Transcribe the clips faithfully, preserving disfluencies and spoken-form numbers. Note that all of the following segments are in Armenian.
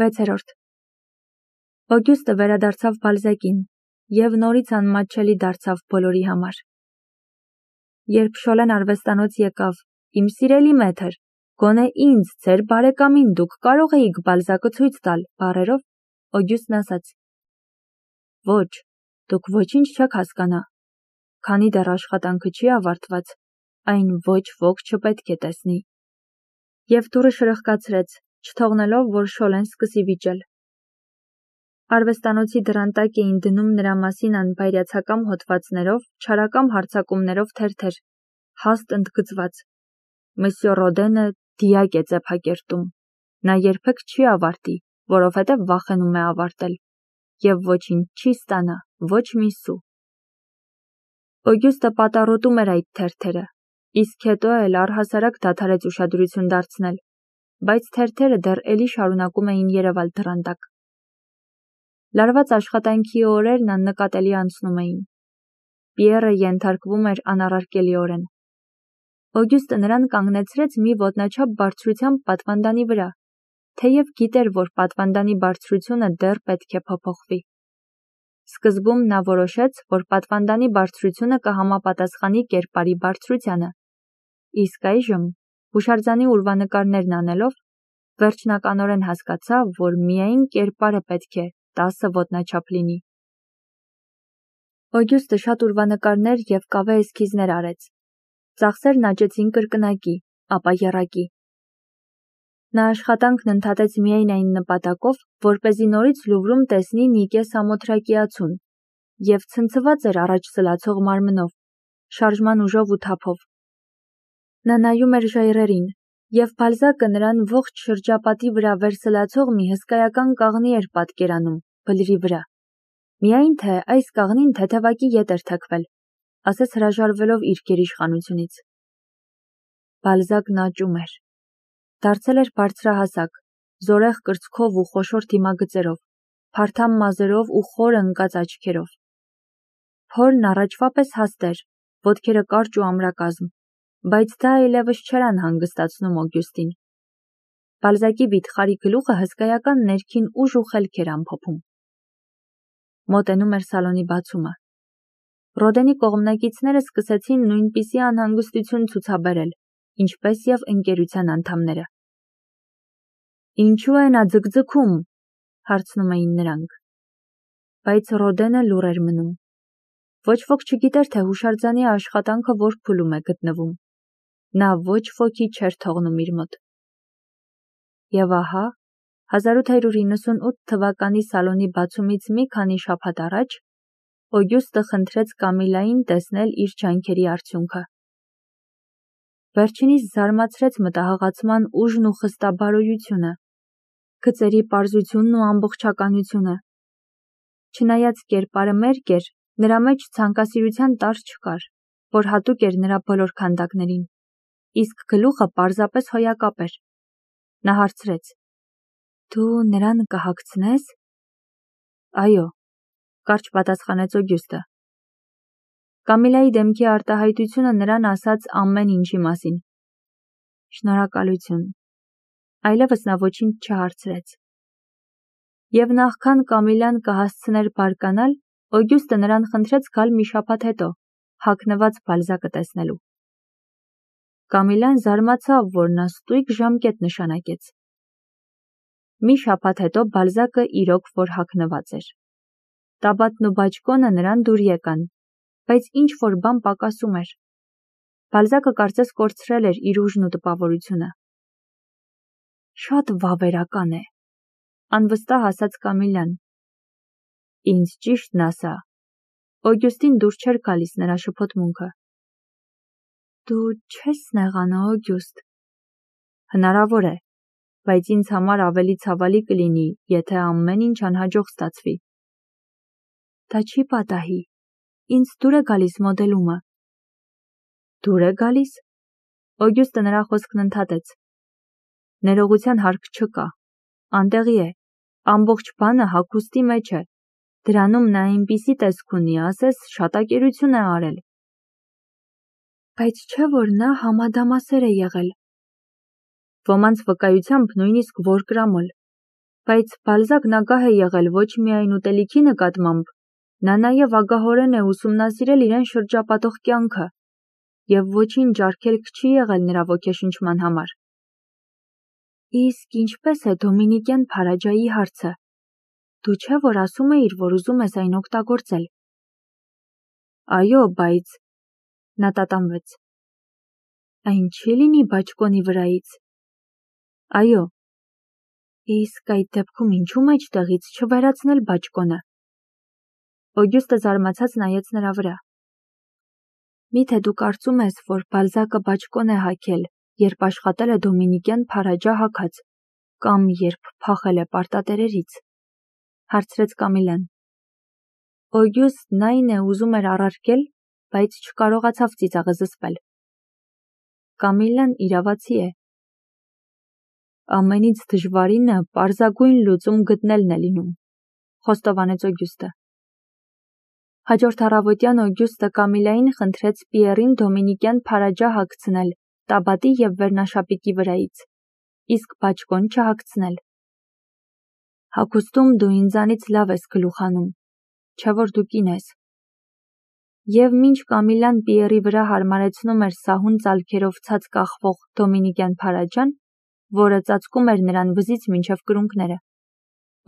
վեցերորդ Օգյուստը վերադարձավ Բալզակին և նորից անմատչելի դարձավ բոլորի համար։ Երբ Շոլեն արվեստանոց եկավ, իմ սիրելի մեթր, գոնե ինձ, ձեր բարեկամին դուք կարող էիք Բալզակը ցույց տալ, բառերով, Օգյուստն ասաց. Ոչ, դուք ոչինչ չեք հասկանա, քանի դեռ աշխատանքը չի ավարտված, այն ոչ ոք չպետք է տեսնի։ Եվ դուռը շրխկացրեց, չթողնելով, որ Շոլեն սկսի վիճել։ Արվեստանոցի դռան տակ էին դնում նրա մասին անբայրացակամ հոդվածներով, չարակամ հարձակումներով թերթեր, հաստ ընդգծված. Մսյո Ռոդենը դիակ է ծեփակերտում, նա երբեք չի ավարտի, որովհետև վախենում է ավարտել, և ոչինչ չի ստանա, ոչ մի սու։ Օգյուստը պատառոտում էր այդ թերթերը, իսկ հետո էլ առհասարակ դադարեց ուշադրություն դարձնել, բայց թերթերը դեռ էլի շարունակում էին երևալ դռան տակ։ Լարված աշխատանքի օրերն աննկատելի անցնում էին։ Պիերը ենթարկվում էր անառարկելիորեն։ Օգյուստը նրան կանգնեցրեց մի ոտնաչափ բարձրությամբ պատվանդանի վրա, թեև գիտեր, որ պատվանդանի բարձրությունը դեռ պետք է փոփոխվի։ Սկզբում նա որոշեց, որ պատվանդանի բարձրությունը կհամապատասխանի կերպարի բարձրությանը, իսկ այժմ, հուշարձանի ուրվանկարներն անելով, վերջնականորեն հասկացավ, որ միայն կերպարը պետք է տասը ոտնաչափ լինի։ Օգյուստը շատ ուրվանկարներ և կավե էսքիզներ արեց։ Ծախսերն աճեցին կրկնակի, ապա եռակի։ Նա աշխատանքն ընդհատեց միայն այն նպատակով, որպեսզի նորից Լուվրում տեսնի Նիկե Սամոթրակիացուն, և ցնցված էր առաջ սլացող մարմնով, շարժման ուժով ու թափով։ Նա նայում էր ժայռերին, և Բալզակը նրան ողջ շրջապատի վրա վերսլացող մի հսկայական կաղնի էր պատկերանում, բլրի վրա։ Միայն թե այս կաղնին թեթևակի ետ էր թեքվել, ասես հրաժարվելով իր գերիշխանությունից։ Բալզակն աճում էր։ Դարձել էր բարձրահասակ, զորեղ կրծքով ու խոշոր դիմագծերով, փարթամ մազերով ու խոր ընկած աչքերով։ Փորն առաջվա պես հաստ էր, ոտքերը կարճ ու ամրակազմ, բայց դա այլևս չէր անհանգստացնում Օգյուստին։ Բալզակի վիթխարի գլուխը հսկայական ներքին ուժ ու խելք էր ամփոփում։ Մոտենում էր սալոնի բացումը։ Ռոդենի կողմնակիցները սկսեցին նույնպիսի անհանգստություն ցուցաբերել, ինչպես և ընկերության անդամները։ Ինչու է նա ձգձգում, հարցնում էին նրանք։ Բայց Ռոդենը լուռ էր մնում։ Ոչ ոք չգիտեր, թե հուշարձանի աշխատանքը որ փուլում է գտնվում։ Նա ոչ ոքի չէր թողնում իր մոտ։ Եվ ահա, հազար ութ հարյուր իննսունութ թվականի սալոնի բացումից մի քանի շաբաթ առաջ, Օգյուստը խնդրեց Կամիլային տեսնել իր ջանքերի արդյունքը։ Վերջինիս զարմացրեց մտահղացման ուժն ու խստաբարոյությունը, գծերի պարզությունն ու ամբողջականությունը։ Չնայած կերպարը մերկ էր, նրա մեջ ցանկասիրության տարր չկար, որ հատուկ էր նրա բոլոր քանդակներին, իսկ գլուխը պարզապես հոյակապ էր։ Նա հարցրեց. Դու նրան կհագցնե՞ս։ Այո, կարճ պատասխանեց Օգյուստը։ Կամիլայի դեմքի արտահայտությունը նրան ասաց ամեն ինչի մասին։ Շնորհակալություն։ Այլևս նա ոչինչ չհարցրեց։ Եվ նախքան Կամիլան կհասցներ բարկանալ, Օգյուստը նրան խնդրեց գալ մի շաբաթ հետո, հագնված Բալզակը տեսնելու։ Կամիլան զարմացավ, որ նա ստույգ ժամկետ նշանակեց։ Մի շաբաթ հետո Բալզակը իրոք որ հագնված էր։ Տաբատն ու բաճկոնը նրան դուր եկան, բայց ինչ-որ բան պակասում էր։ Բալզակը կարծես կորցրել էր իր ուժն ու տպավորությունը։ Շատ վավերական է, անվստահ ասաց Կամիլան։ Ինձ ճիշտն ասա, Օգյուստին դուր չէր գալիս նրա շփոթմունքը։ Դու չես նեղանա, Օգյուստ։ Հնարավոր է, բայց ինձ համար ավելի ցավալի կլինի, եթե ամեն ինչ անհաջող ստացվի։ Դա չի պատահի, ինձ դուր է գալիս մոդելումը։ Դուր է գալիս։ Օգյուստը նրա խոսքն ընդհատեց։ Ներողության հարկ չկա, անտեղի է, ամբողջ բանը հագուստի մեջ է, դրանում նա այնպիսի տեսք ունի, ասես շատակերություն է արել։ Բայց չէ որ նա համադամասեր է եղել։ Ոմանց վկայությամբ նույնիսկ որ կրամոլ։ Բայց Բալզակն ագահ է եղել ոչ միայն ուտելիքի նկատմամբ, նա նաև ագահորեն է ուսումնասիրել իրեն շրջապատող կյանքը, և ոչինչ արգելք չի եղել նրա ոգեշնչման համար։ Իսկ ինչպես է դոմինիկյան Փարաջայի հարցը։ Դու չէ՞ որ ասում էիր, որ ուզում ես այն օգտագործել։ Այո, բայց… Նա տատանվեց։ Այն չի լինի բաճկոնի վրայից։ Այո։ Իսկ այդ դեպքում ինչու մեջտեղից չվերացնել բաճկոնը։ Օգյուստը զարմացած նայեց նրա վրա։ Միթե դու կարծում ես, որ Բալզակը բաճկոն է հագել, երբ աշխատել է դոմինիկյան Փարաջա հագած, կամ երբ փախել է պարտատերերից, հարցրեց Կամիլան։ Օգյուստն այն է ուզում էր առարկել, բայց չկարողացավ ծիծաղը զսպել։ Կամիլան իրավացի է։ Ամենից դժվարինը պարզագույն լուծում գտնելն է լինում, խոստովանեց Օգյուստը։ Հաջորդ առավոտյան Օգյուստը Կամիլային խնդրեց Պիերին դոմինիկյան Փարաջա հագցնել տաբատի և վերնաշապիկի վրայից, իսկ բաճկոն չհագցնել։ Հագուստում դու ինձանից լավ ես գլուխ հանում, չէ՞ որ դու կին ես։ Եվ մինչ Կամիլան Պիերի վրա հարմարեցնում էր սահուն ծալքերով ցած կախվող դոմինիկյան Փարաջան, որը ծածկում էր նրան վզից մինչև կրունկները,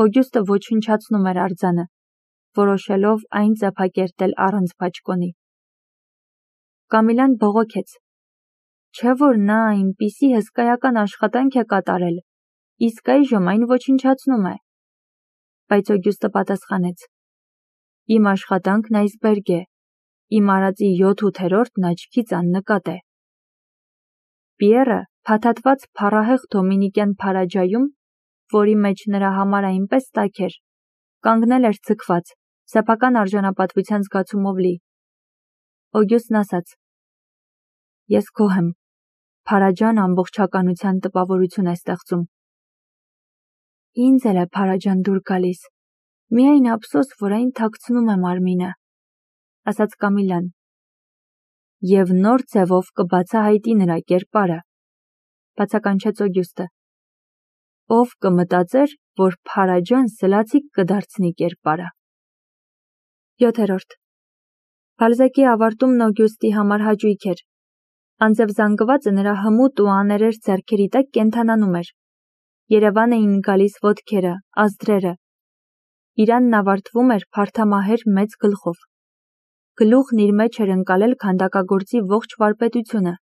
Օգյուստը ոչնչացնում էր արձանը, որոշելով այն ծեփակերտել առանց բաճկոնի։ Կամիլան բողոքեց. Չէ՞ որ նա այնպիսի հսկայական աշխատանք է կատարել, իսկ այժմ այն ոչնչացնում է։ Բայց Օգյուստը պատասխանեց. Իմ աշխատանքն այսբերգ է, իմ արածի յոթ-ութերորդն աչքից աննկատ է։ Պիերը փաթաթված փառահեղ դոմինիկյան Փարաջայում, որի մեջ նրա համար այնպես տաք էր, կանգնել էր ձգված, սեփական արժանապատվության զգացումով լի։ Օգյուստն ասաց. Ես գոհ եմ, Փարաջան ամբողջականության տպավորություն է ստեղծում։ Ինձ էլ է Փարաջան դուր գալիս, միայն ափսոս, որ այն թաքցնում է մարմինը, ասաց Կամիլան։ Եվ նոր ձևով կբացահայտի նրա կերպարը, բացականչեց Օգյուստը։ Ով կմտածեր, որ Փարաջան սլացիկ կդարձնի կերպարը։ յոթերորդ Բալզակի ավարտումն Օգյուստի համար հաճույք էր։ Անձև զանգվածը նրա հմուտ ու աներեր ձեռքերի տակ կենթանանում էր։ Երևան էին գալիս ոտքերը, ազդրերը։ Իրանն ավարտվում էր փարթամահեր մեծ գլխով։ Գլուխն իր մեջ էր ընկալել քանդակագործի ողջ վարպետությունը։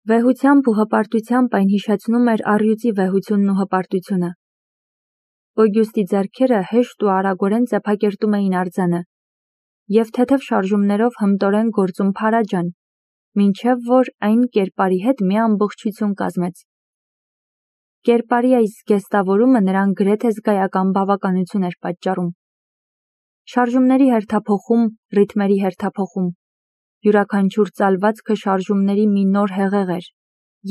Վեհությամբ ու հպարտությամբ այն հիշեցնում էր առյուծի վեհությունն ու հպարտությունը։ Օգյուստի ձեռքերը հեշտ ու արագորեն ծեփակերտում էին արձանը, և թեթև շարժումներով հմտորեն գործում Փարաջան, մինչև որ այն կերպարի հետ մի ամբողջություն կազմեց։ Կերպարի այս զգեստավորումը նրան գրեթե զգայական բավականություն էր պատճառում։ Շարժումների հերթափոխում, ռիթմերի հերթափոխում, յուրաքանչյուր ծալվածքը շարժումների մի նոր հեղեղ էր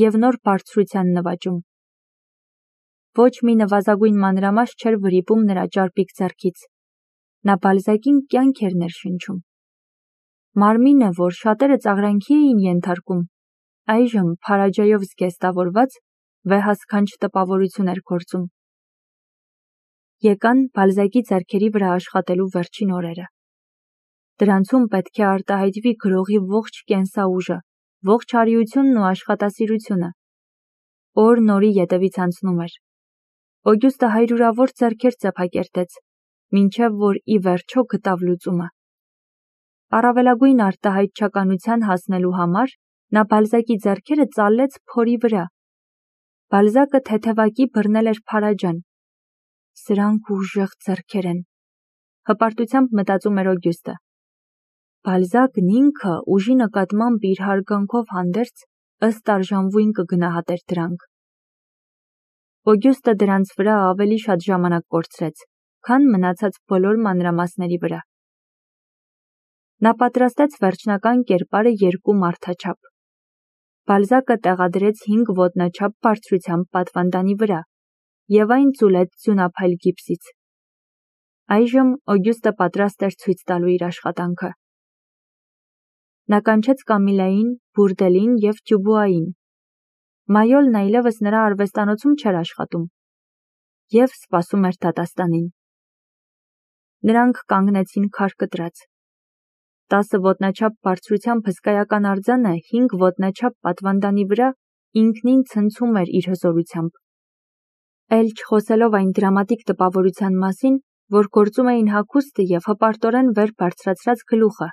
և նոր բարձրության նվաճում։ Ոչ մի նվազագույն մանրամասն չէր վրիպում նրա ճարպիկ ձեռքից։ Նա Բալզակին կյանք էր ներշնչում։ Մարմինը, որ շատերը ծաղրանքի էին ենթարկում, այժմ Փարաջայով զգեստավորված վեհասքանչ տպավորություն էր գործում։ Եկան Բալզակի ձեռքերի վրա աշխատելու վերջին օրերը։ Դրանցում պետք է արտահայտվի գրողի ողջ կենսաուժը, ողջ արիությունն ու աշխատասիրությունը։ Օրն օրի ետևից անցնում էր։ Օգյուստը հայրուրավոր ձեռքեր ծեփակերտեց, մինչև որ ի վերջո գտավ լուծումը։ Առավելագույն արտահայտչականության հասնելու համար նա Բալզակի ձեռքերը ծալեց փորի վրա։ Բալզակը թեթևակի բռնել էր Փարաջան։ Սրանք ուժեղ ձեռքեր են, հպարտությամբ մտածում էր Օգյուստը։ Բալզակն ինքը ուժի նկատմամբ իր հարգանքով հանդերձ ըստ արժանվույն կգնահատեր դրանք։ Օգյուստը դրանց վրա ավելի շատ ժամանակ կորցրեց, քան մնացած բոլոր մանրամասների վրա։ Նա պատրաստեց վերջնական կերպարը երկու մարդաչափ։ Բալզակը տեղադրեց հինգ ոտնաչափ բարձրությամբ պատվանդանի վրա և այն ծուլեց ձյունափայլ գիպսից։ Այժմ Օգյուստը պատրաստ էր ցույց տալու իր աշխատանքը։ Նա կանչեց Կամիլային, Բուրդելին և Դյուբուային։ Մայոլն այլևս նրա արվեստանոցում չէր աշխատում։ և սպասում էր դատաստանին։ Նրանք կանգնեցին քար կտրած։ Տասը ոտնաչափ բարձրությամբ հսկայական արձանը հինգ ոտնաչափ պատվանդանի վրա ինքնին ցնցում էր իր հզորությամբ։ Էլ չխոսելով այն դրամատիկ տպավորության մասին, որ գործում էին հագուստը և հպարտորեն վեր բարձրացրած գլուխը։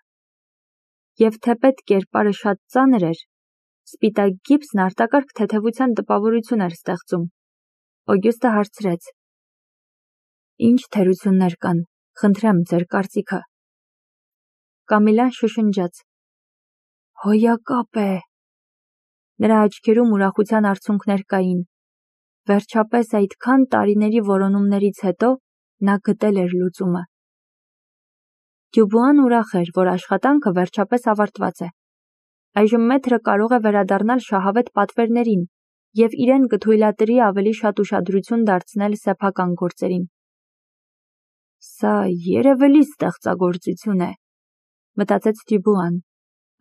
Եվ թեպետ կերպարը շատ ծանր էր, սպիտակ գիպսն արտակարգ թեթևության տպավորություն էր ստեղծում։ Օգյուստը հարցրեց. «Ինչ թերություններ կան, խնդրեմ ձեր կարծիքը»։ Կամիլան շշնջաց. «Հոյակապ է»։ Նրա աչքերում ուրախության արցունքներ կային։ Վերջապես այդքան տարիների որոնումներից հետո նա գտել էր լուծումը։ Դյուբուան ուրախ էր, որ աշխատանքը վերջապես ավարտված է։ Այժմ մեթրը կարող է վերադառնալ շահավետ պատվերներին և իրեն կթույլատրի ավելի շատ ուշադրություն դարձնել սեփական գործերին։ «Սա երևելի ստեղծագործություն է», մտածեց Դյուբուան,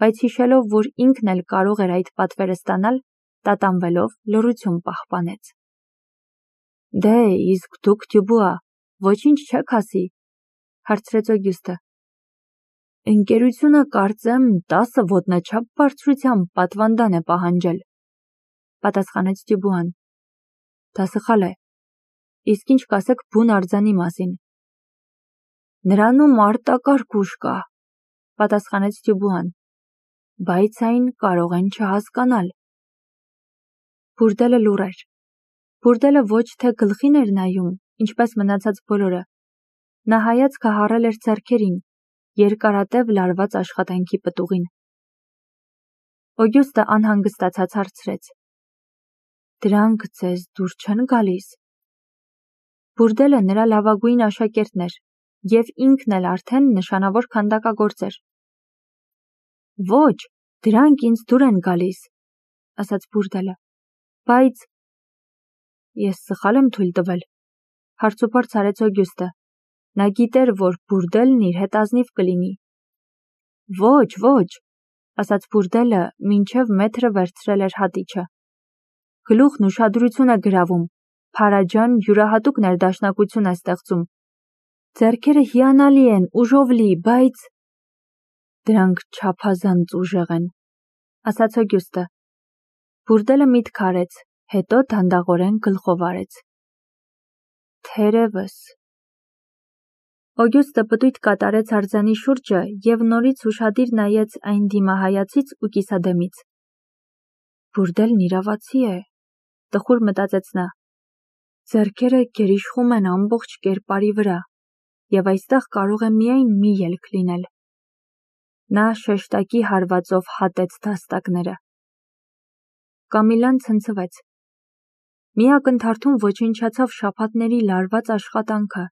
բայց հիշելով, որ ինքն էլ կարող էր այդ պատվերը ստանալ, տատանվելով լռություն պահպանեց։ «Դե, իսկ դուք, Դյուբուա, ոչինչ չեք ասի», հարցրեց Օգյուստը։ «Ընկերությունը կարծեմ տասը ոտնաչափ բարձրությամբ պատվանդան է պահանջել», պատասխանեց Դյուբուան։ «Դա սխալ է։ Իսկ ինչ կասեք բուն արձանի մասին»։ «Նրանում արտակարգ ուժ կա», պատասխանեց Դյուբուան, «բայց այն կարող են չհասկանալ»։ Բուրդելը լուռ էր։ Բուրդելը ոչ թե գլխին էր նայում, ինչպես մնացած բոլորը։ Նա հայացքը հառել էր ձեռքերին, երկարատև լարված աշխատանքի պտուղին։ Օգյուստը անհանգստացած հարցրեց. «Դրանք ձեզ դուր չեն գալիս»։ Բուրդելը նրա լավագույն աշակերտն էր և ինքն էլ արդեն նշանավոր քանդակագործ էր։ «Ոչ, դրանք ինձ դուր են գալիս», ասաց Բուրդելը, «բայց…» «Ես սխալ եմ թույլ տվել», հարցուփորձ արեց Օգյուստը։ Նա գիտեր, որ Բուրդելն իր հետ ազնիվ կլինի։ «Ոչ, ոչ», ասաց Բուրդելը, մինչև մեթրը վերցրել էր հատիչը։ «Գլուխն ուշադրություն է գրավում, Փարաջան յուրահատուկ ներդաշնակություն է ստեղծում։ Ձեռքերը հիանալի են, ուժով լի, բայց…» «Դրանք չափազանց ուժեղ են», ասաց Օգյուստը։ Բուրդելը միտք արեց, հետո դանդաղորեն գլխով արեց։ «Թերևս»։ Օգյուստը պտույտ կատարեց արձանի շուրջը և նորից ուշադիր նայեց այն դիմահայացից ու կիսադեմից։ «Բուրդելն իրավացի է», տխուր մտածեց նա։ «Ձեռքերը գերիշխում են ամբողջ կերպարի վրա, և այստեղ կարող է միայն մի ելք լինել»։ Նա շեշտակի հարվածով հատեց դաստակները։ Կամիլան ցնցվեց։ Մի ակնթարթում ոչնչացավ շաբաթների լարված աշխատանքը։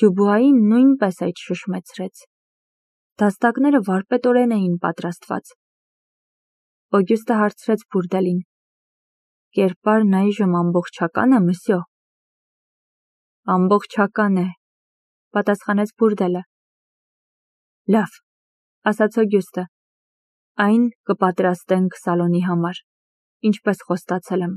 Դյուբուային նույնպես այդ շշմեցրեց։ Դաստակները վարպետորեն էին պատրաստված։ Օգյուստը հարցրեց Բուրդելին. «Կերպարն այժմ ամբողջակա՞ն է, մսյո»։ «Ամբողջական է», պատասխանեց Բուրդելը։ «Լավ», ասաց Օգյուստը, «այն կպատրաստենք սալոնի համար, ինչպես խոստացել եմ»։